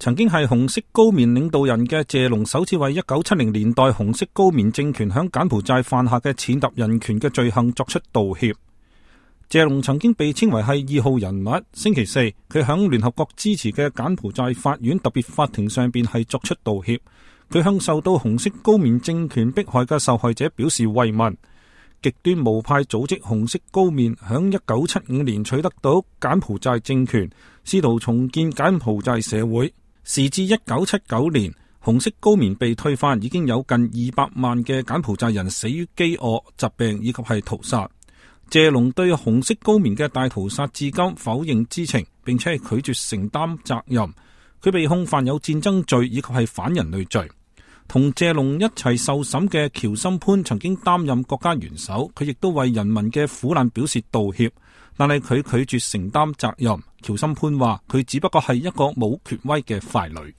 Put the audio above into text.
曾經係紅色高棉領導人嘅謝龍首次為1970年代紅色高棉政權響柬埔寨犯下嘅踐踏人權嘅罪行作出道歉。謝龍曾經被稱為係二號人物。星期四，佢響聯合國支持嘅柬埔寨法院特別法庭上邊係作出道歉。佢向受到紅色高棉政權迫害嘅受害者表示慰問。極端無派組織紅色高棉響1975年取得到柬埔寨政權，試圖重建柬埔寨社會。時至1979年，紅色高棉被推翻，已經有近200萬嘅柬埔寨人死於飢餓、疾病以及係屠殺。謝龍對紅色高棉嘅大屠殺至今否認知情，並且係拒絕承擔責任。佢被控犯有戰爭罪以及係反人類罪。同謝龍一齊受審嘅喬森潘曾經擔任國家元首，佢亦都為人民嘅苦難表示道歉，但係佢拒絕承擔責任。喬森潘話佢只不過係一個冇權威嘅傀儡。